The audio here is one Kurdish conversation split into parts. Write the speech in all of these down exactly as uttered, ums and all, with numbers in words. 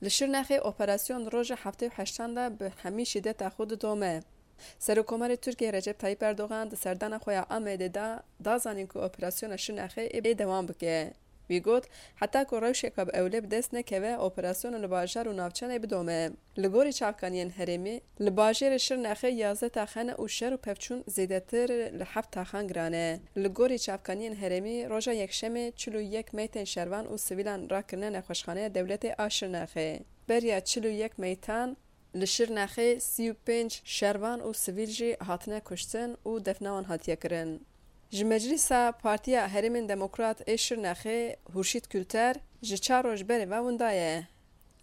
Li Şirnexê operasyon di roja heftê û heştan de bi hemî şîdeta xwe didome. Serokkomarê Tirkiyê Recep Tayyip Erdogan di serdana xwe ya Amedê de da zanîn ku operasyona Şirnexê ê dewam bike. Wî got, heta ku rewşeke bi ewle bi dest nekeve, operasyona li bajar û navçenê bidome. Li gorî çavkaniyên herêmî, li bajêrê Şirnexê yazdeh taxe ne û şer û pevçûn zêdetir li heft taxan giran e. Li gorî çavkaniyên herêmî, roja Yekşemê çil û yek meytên şervan û sivîlan rakirine nexweşxaneya dewletê a Şirnexê. Beriya çil û yek meytan, li Şirnexê sî û pênc şervan û sivîl jî hatine kuştin û defna wan hatiye kirin. Ji Meclîsa Partiya Herêmên Demokrat ê Şirnexê Hurşît Kulter ji çar roj berê ve winda ye.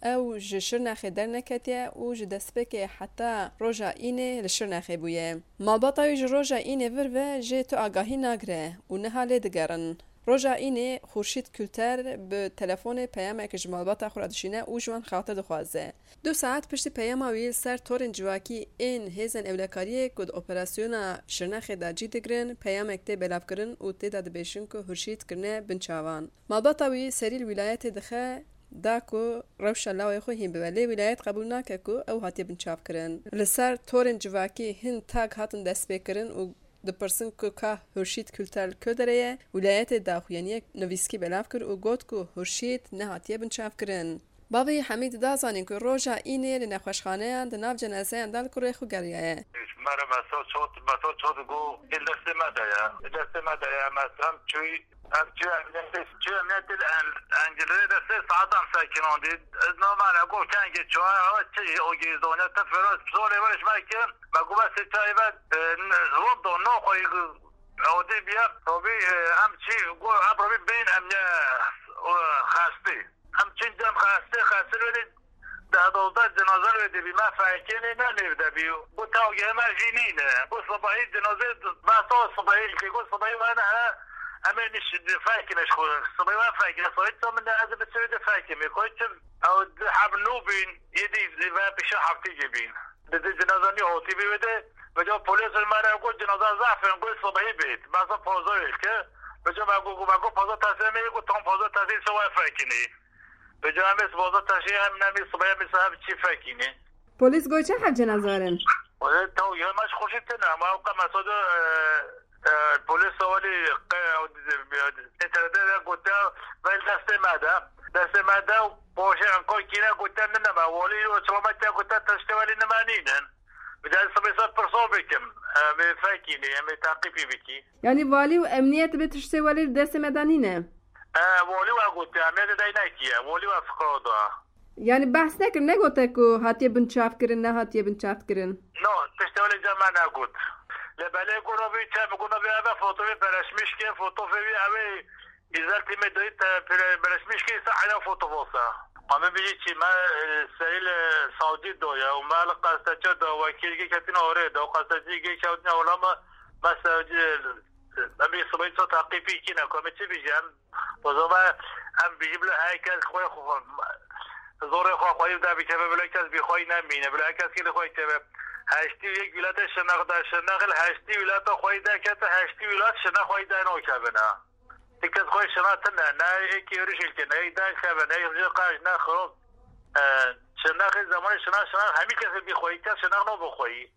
Ew ji Şirnexê derneketiye û ji destpêkê heta roja Înê li Şirnexê bûye. Malbata wî ji roja Înê vir ve jê tu agahî nagire û niha lê digerin. Roja Înê Xurşîd Kulter bi telefonê peyamek ji malbata xwe re dişîne û ji wan xatir dixwaze. Du saet piştî peyama wî li ser torên civakî ên hêzên ewlekariyê ku di operasyona Şirnexê de cî digirin, peyamek tê belavkirin û tê de dibêjin ku Hurşîd kirine binçavan. Malbata wî serî li wîlayetê dixe da ku rewşa lawê xwe hîn bibe, lê wîlayet qebûl nake ku ew hatiye binçavkirin. Li ser torên civakî hin tag hatin destpêkirin û dipirsin ku ka Hurşîd Kulter li ku derê ye, wîlayetê daxuyaniye nivîskî belav kir û got ku Hurşîd nehatiye binçavkirin. Bavê Hemîd da zanîn ku roja Înê li nexweşxaneyan di nav cenazeyan de li kurê xwe geriyaye. Mere me sor çot, me sor çot got, ê destê me de ye. Destê me de ye, me hem çûyî, hem çûyî emniyetê, çûyî emniyetê en-, encilê de sê saetan sekinandî. Ez namane got kengê çûye, ha çi o gêzdonye, te firoz, zorê weriş me ki, me got bes çayê ve, e, n-, rondo, no xwe, e, odê biye, robî, e, em çî, got, em robî bîn emniye, e, xestî. Em çin dem xestê, xestê wê de deh dozdeh cenaze wê de bî. Me fekê nê ne nêv de bî. Got, tawgê me jî nîne. Got, sibahî cenaze, me to sibahî, ke got, sibahî we ne he, em ê niş-, fekine ji xwe. Sibahî we fekine, sibahî to min de ez bi çi wê de fekime. Koy çi, ew di heb nû bîn, yê dî ve pişa heftê jê bîn. Di di cenaze nî hotî bî wê de, ve ca polîs li me re got, cenaze zaf in, got, sibahî bêt. Me sa pozo wê ke, ve ca me got, me got, pozo teslim ê, got, tam pozo teslim, se we fekinî. Bi cemê siboza taşê em nemî sibaya mî saheb çî fekînî. Polîs got çend heb cenaze werin? Wele taw ya maç xweşî tine, ama ew qe mesodo, e, e, polîs welî qe, e, terede de gote, vel destê me de. Destê me de, poşê enko kîne gote nine me, welî o çilometre gote tiştê welî nime nînin. Bir de sibê ser pirso bikim, em ê fekînî, em ê teqîpî bikî. Yanî valî û emniyet bi tiştê welî li destê me de nîne? E, walî we gotiye, em ê de dey nekiye. Walî we fikra da. Yanî behs nekir, negote ku hatiye binçavkirin, nehatiye binçavkirin? No, tiştê welê ca me negot. Lê belê gona vê çe, gona vê eve fotoğrafı paylaşmış ke, fotoğrafı eve güzel time doyup te paylaşmış ke ise aynen fotoğrafı. Ama bir çi me, e, serî li savcî doya û me li qesteçe da wekîl gê ketin orê da û qesteçî gê ketin orê me, me savcî Em ê sibê ço teqîpî kîne, ku em ê çi bêjin? O zaman em bêjin bila her kes xwe, xwe, zorê xwe xweyî de bikeve, bila kes bî xweyî nemîne, bila her kes kî li xwe keve. Heştî û yek wîlata Şirnex de, Şirnex li heştî wîlata xweyî de kete, heştî wîlat Şirnex xweyî de nokevine. Ti kes xwe Şirnex tine, ne êkî êrişê ke, ne yek derkeve, ne yek ji qaj, ne xirop. E, Şirnexê zemanê Şirnex, Şirnex hemî kesê bî xweyî, kes Şirnex no bi xweyî.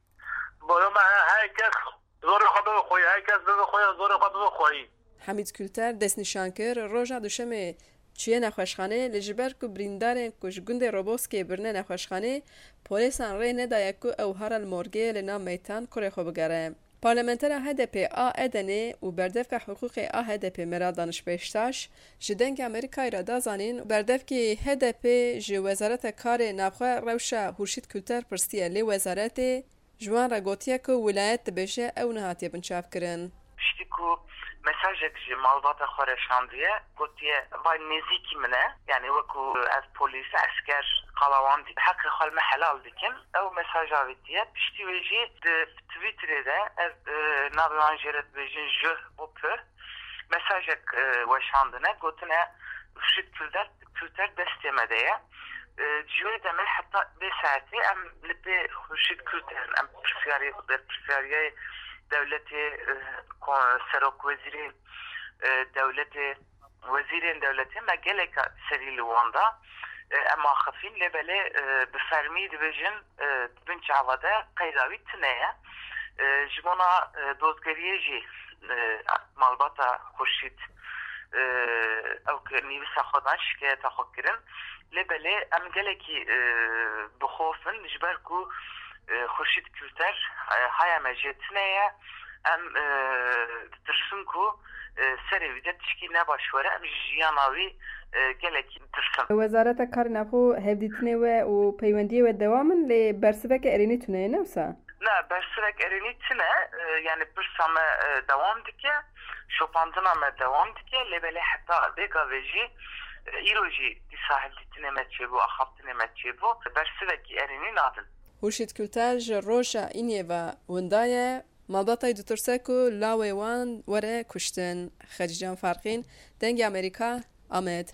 Boyo me her kes zorê xwe bibe xweyî, her kes bibe xweyî, zorê xwe bibe xweyî. Hemîd Kulter destnîşan kir, roja Duşemê çûye nexweşxanê, lê ji ber ku birîndarên ku ji gundê Roboskê birine nexweşxanê, polêsan rê nedaye ku ew here li morgê li nav meytan kurê xwe bigere. Parlamentera H D P a Edenê û berdevka hiqûqê a H D P Meral Daniş Beştaş ji Dengê Amerîkayê re da zanîn, berdevkî H D P ji Wezareta Karê Navxwe rewşa Hurşîd Kulter pirsiye, lê wezaretê ji wan re gotiye ku wilayet dibêje ew nehatiye binçavkirin. Piştî ku mesajek ji malbata xwe re şandiye, gotiye, vay nêzîkî min e, yanî wekû ez polîs, esker, qala wan dî, heqê xwe li me helal dikim. Ew mesaj avêtiye. Piştî wê jî di Twitterê de, ez, e, navê wan jê re dibêjin J O P, mesajek, e, weşandine, gotine, Xurşîd Kulter, Kulter destê me de ye. E, ji wê demê heta vê saetê em li pê Xurşîd Kulter in. Em pirsiyarê, berpirsiyariyê dewletê, e, ko-, serokwezîrê, e, dewletê, wezîrên dewletê me geleka serî li wan da. E, em axifîn, lê belê, e, bi fermî dibêjin, e, di bin çava de qeyda wî tune ye. E, ji bona, e, dozgeriyê jî, e, malbata Xurşîd, e, ew ki nivîsa xwe dan şikayeta xwe kirin. Lê belê em gelekî, e, bi xof in, ji ber ku, e, Xurşîd Kulter, e, haya me jê tune ye. Em, e, ditirsin ku, e, serê wî de tişkî nebaş were. Em ji jiyana wî, e, gelekî ditirsin. Wezareta Karê Navxwe hevdîtinê we û peywendiyê we dewam in, lê bersiveke erênî tune ye, ne wisa? Ne, bersivek erênî tune, e, yani pirsa me, e, dewam dike, şopandina me dewam dike, lê belê heta vê gavê jî, e, îro jî dîsa hevdîtinê me çêbû, axaftinê me çêbû, bersivekî erênî nadin. Xurşîd Kulter ji roja îniyê ve winda ye. Malbatayê ditirse ku lawê wan were kuştin. Xecîcan Farqîn, Dengê Amerîka, Amed.